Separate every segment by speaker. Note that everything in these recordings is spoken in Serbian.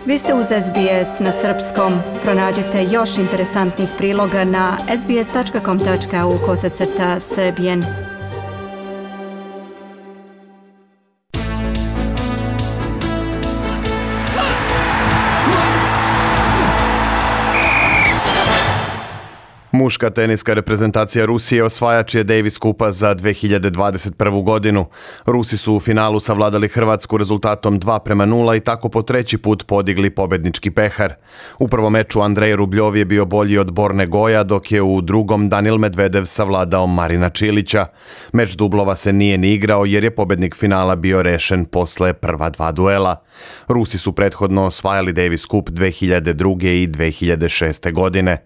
Speaker 1: Vi ste uz SBS na srpskom. Pronađite još interesantnih priloga na sbs.com.au/srbijen.
Speaker 2: Muška teniska reprezentacija Rusije osvajač je Davis Kupa za 2021. godinu. Rusi su u finalu savladali Hrvatsku rezultatom 2:0 i tako po treći put podigli pobednički pehar. U prvom meču Andrej Rubljov je bio bolji od Borne Goja, dok je u drugom Danil Medvedev savladao Marina Čilića. Meč dublova se nije ni igrao jer je pobednik finala bio rešen posle prva dva duela. Rusi su prethodno osvajali Davis Cup 2002. i 2006. godine.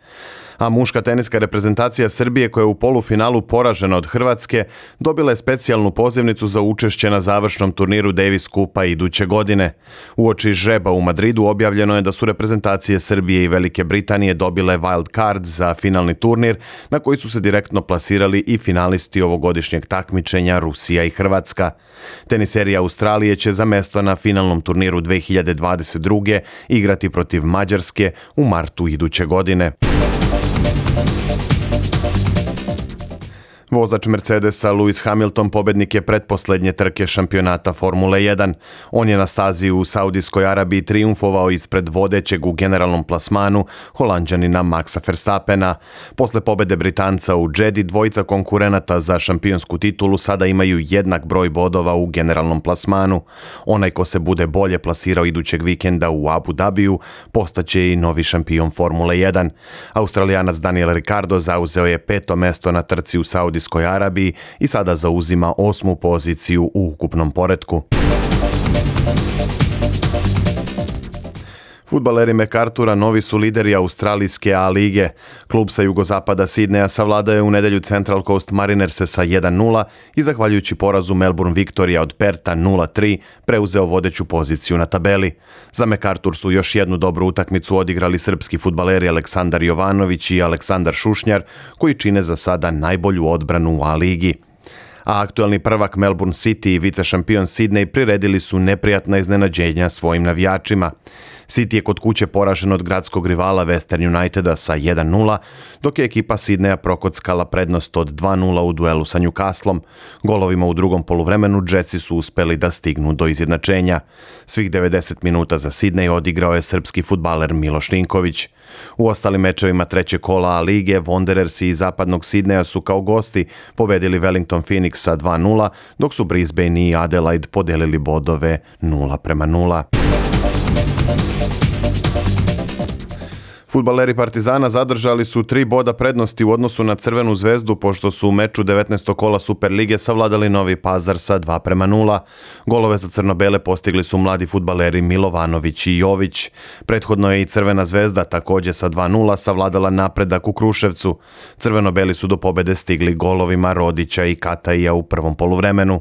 Speaker 2: A muška teniska reprezentacija Srbije, koja je u polufinalu poražena od Hrvatske, dobila je specijalnu pozivnicu za učešće na završnom turniru Davis Cupa iduće godine. Uoči žreba u Madridu objavljeno je da su reprezentacije Srbije i Velike Britanije dobile wild card za finalni turnir, na koji su se direktno plasirali i finalisti ovogodišnjeg takmičenja Rusija i Hrvatska. Teniseri Australije će za mesto na finalnom turniru 2022. igrati protiv Mađarske u martu iduće godine. Vozač Mercedesa Lewis Hamilton pobednik je pretposlednje trke šampionata Formule 1. On je na stazi u Saudijskoj Arabiji trijumfovao ispred vodećeg u generalnom plasmanu Holanđanina Maxa Verstappena. Posle pobede Britanca u Jeddi, dvojica konkurenata za šampionsku titulu sada imaju jednak broj bodova u generalnom plasmanu. Onaj ko se bude bolje plasirao idućeg vikenda u Abu Dhabiju postaće i novi šampion Formule 1. Australijanac Daniel Ricciardo zauzeo je 5. mesto na trci u Saudijskoj Arabiji i sada zauzima 8. poziciju u ukupnom poretku. Fudbaleri MacArthura novi su lideri australijske A lige. Klub sa jugozapada Sidneja savladao je u nedelju Central Coast Marinerse sa 1:0 i zahvaljujući porazu Melbourne Victoria od Perta 0:3 preuzeo vodeću poziciju na tabeli. Za MacArthur su još jednu dobru utakmicu odigrali srpski fudbaleri Aleksandar Jovanović i Aleksandar Šušnjar, koji čine za sada najbolju odbranu u A ligi. A aktuelni prvak Melbourne City i vicešampion Sydney priredili su neprijatna iznenađenja svojim navijačima. City je kod kuće poražen od gradskog rivala Western Uniteda sa 1:0, dok je ekipa Sydneya prokockala prednost od 2:0 u duelu sa Newcastlom. Golovima u drugom poluvremenu Jetsi su uspeli da stignu do izjednačenja. Svih 90 minuta za Sydney odigrao je srpski fudbaler Miloš Ninković. U ostalim mečevima trećeg kola A lige, Wanderersi iz zapadnog Sidneja su kao gosti pobedili Wellington Phoenix sa 2:0, dok su Brisbane i Adelaide podelili bodove 0:0. Fudbaleri Partizana zadržali su 3 boda prednosti u odnosu na Crvenu zvezdu, pošto su u meču 19. kola Superlige savladali Novi Pazar sa 2:0. Golove za crno-bele postigli su mladi fudbaleri Milovanović i Jović. Prethodno je i Crvena zvezda također sa 2:0 savladala Napredak u Kruševcu. Crveno-beli su do pobede stigli golovima Rodića i Kataija u prvom poluvremenu.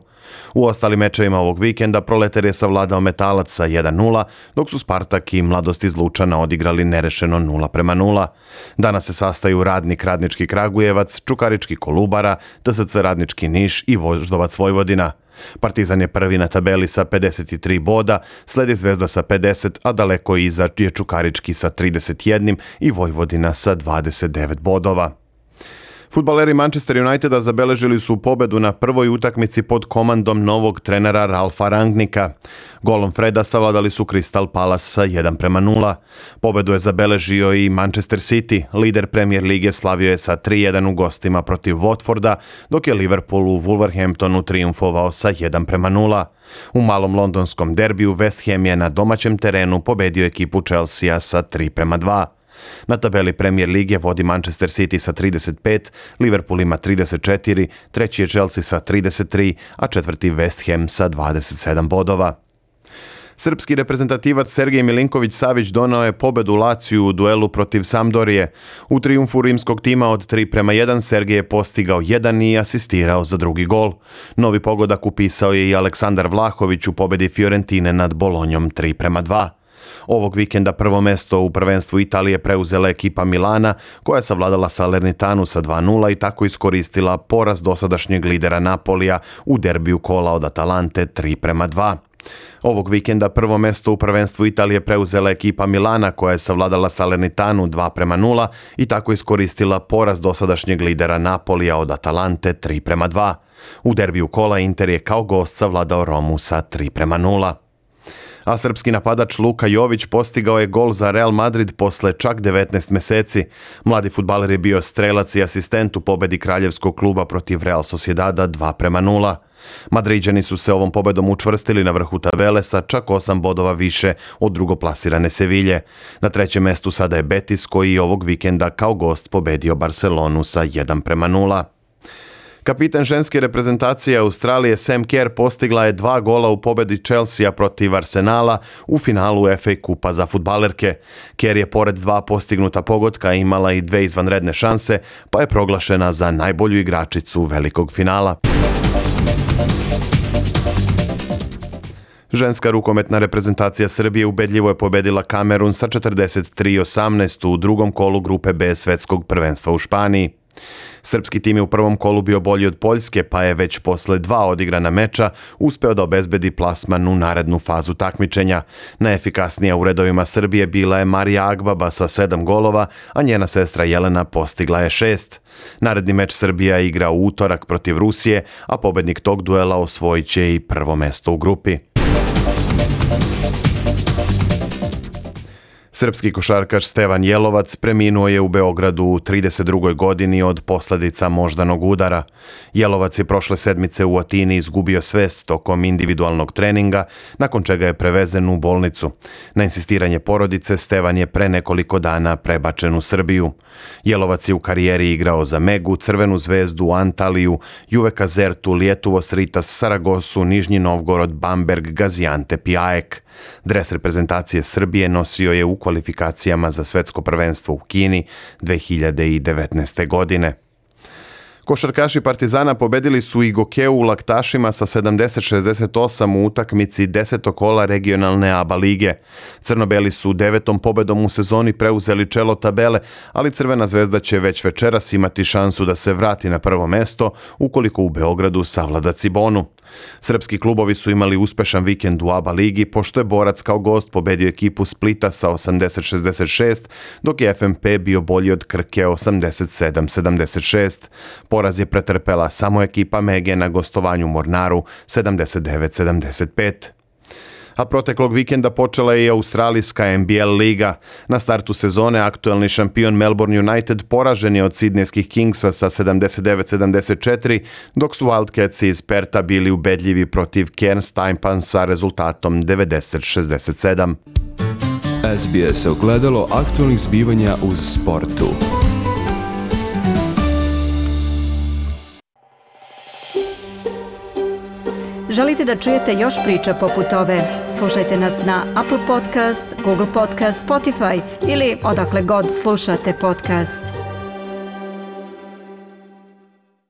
Speaker 2: U ostalim mečevima ovog vikenda Proletar je savladao Metalac sa 1:0, dok su Spartak i Mladost iz Lučana odigrali nerešeno 0:0. Danas se sastaju Radnik Radnički Kragujevac, Čukarički Kolubara, TSC Radnički Niš i Voždovac Vojvodina. Partizan je prvi na tabeli sa 53 boda, sledi Zvezda sa 50, a daleko iza je Čukarički sa 31 i Vojvodina sa 29 bodova. Fudbaleri Manchester Uniteda zabeležili su pobedu na prvoj utakmici pod komandom novog trenera Ralfa Rangnika. Golom Freda savladali su Crystal Palace sa 1:0. Pobedu je zabeležio i Manchester City. Lider Premier lige slavio je sa 3:1 u gostima protiv Watforda, dok je Liverpool u Wolverhamptonu trijumfovao sa 1:0. U malom londonskom derbiju West Ham je na domaćem terenu pobedio ekipu Chelsea sa 3:2. Na tabeli Premier lige vodi Manchester City sa 35, Liverpool ima 34, treći je Chelsea sa 33, a četvrti West Ham sa 27 bodova. Srpski reprezentativac Sergej Milinković-Savić donao je pobedu Laciju u duelu protiv Sampdorije. U trijumfu rimskog tima od 3:1 Sergej je postigao 1 i asistirao za drugi gol. Novi pogodak upisao je i Aleksandar Vlahović u pobedi Fiorentine nad Bolonjom 3:2. Ovog vikenda prvo mesto u prvenstvu Italije preuzela ekipa Milana, koja je savladala Salernitanu sa 2:0 i tako iskoristila poraz dosadašnjeg lidera Napolija u derbiju kola od Atalante 3:2. Ovog vikenda prvo mesto u prvenstvu Italije preuzela ekipa Milana koja je savladala Salernitanu 2:0 i tako iskoristila poraz dosadašnjeg lidera Napolija od Atalante 3:2. U derbiju kola Inter je kao gost savladao Romu sa 3:0. A srpski napadač Luka Jović postigao je gol za Real Madrid posle čak 19 meseci. Mladi fudbaler je bio strelac i asistent u pobedi kraljevskog kluba protiv Real Sociedada 2:0. Madriđani su se ovom pobedom učvrstili na vrhu tabele sa čak 8 bodova više od drugoplasirane Sevilje. Na trećem mestu sada je Betis koji je ovog vikenda kao gost pobedio Barcelonu sa 1:0. Kapitan ženske reprezentacije Australije Sam Kerr postigla je 2 gola u pobedi Chelsea protiv Arsenala u finalu FA Kupa za fudbalerke. Kerr je pored 2 postignuta pogotka imala i 2 izvanredne šanse, pa je proglašena za najbolju igračicu velikog finala. Ženska rukometna reprezentacija Srbije ubedljivo je pobedila Kamerun sa 43:18 u drugom kolu grupe B svetskog prvenstva u Španiji. Srpski tim je u prvom kolu bio bolji od Poljske, pa je već posle 2 odigrana meča uspeo da obezbedi plasman u narednu fazu takmičenja. Najefikasnija u redovima Srbije bila je Marija Agbaba sa 7 golova, a njena sestra Jelena postigla je 6. Naredni meč Srbija igra u utorak protiv Rusije, a pobednik tog duela osvojit će i prvo mesto u grupi. Srpski košarkaš Stevan Jelovac preminuo je u Beogradu u 32. godini od posledica moždanog udara. Jelovac je prošle sedmice u Atini izgubio svest tokom individualnog treninga, nakon čega je prevezen u bolnicu. Na insistiranje porodice Stevan je pre nekoliko dana prebačen u Srbiju. Jelovac je u karijeri igrao za Megu, Crvenu zvezdu, Antaliju, Juve Kazertu, Lijetuvo Sritas, Saragosu, Nižnji Novgorod, Bamberg, Gaziantep i AEK. Dres reprezentacije Srbije nosio je u kvalifikacijama za svetsko prvenstvo u Kini 2019. godine. Košarkaši Partizana pobedili su i Gokeu u Laktašima sa 70-68 u utakmici 10. kola regionalne ABA lige. Crno-beli su 9. pobedom u sezoni preuzeli čelo tabele, ali Crvena zvezda će već večeras imati šansu da se vrati na prvo mesto ukoliko u Beogradu savlada Cibonu. Srpski klubovi su imali uspešan vikend u ABA ligi, pošto je Borac kao gost pobedio ekipu Splita sa 80-66, dok je FNP bio bolji od Krke 87-76. Poraz je pretrpela samo ekipa Mege na gostovanju Mornaru 79-75. A proteklog vikenda počela je i australijska NBL liga. Na startu sezone aktuelni šampion Melbourne United poražen je od sidnejskih Kingsa sa 79-74, dok su Wildcatsi iz Perta bili ubedljivi protiv Cairns Taipan sa rezultatom 90-67.
Speaker 3: SBS ogledalo aktualnih zbivanja uz sportu.
Speaker 1: Želite da čujete još priča poput ove? Slušajte nas na Apple Podcast, Google Podcast, Spotify ili odakle god slušate podcast.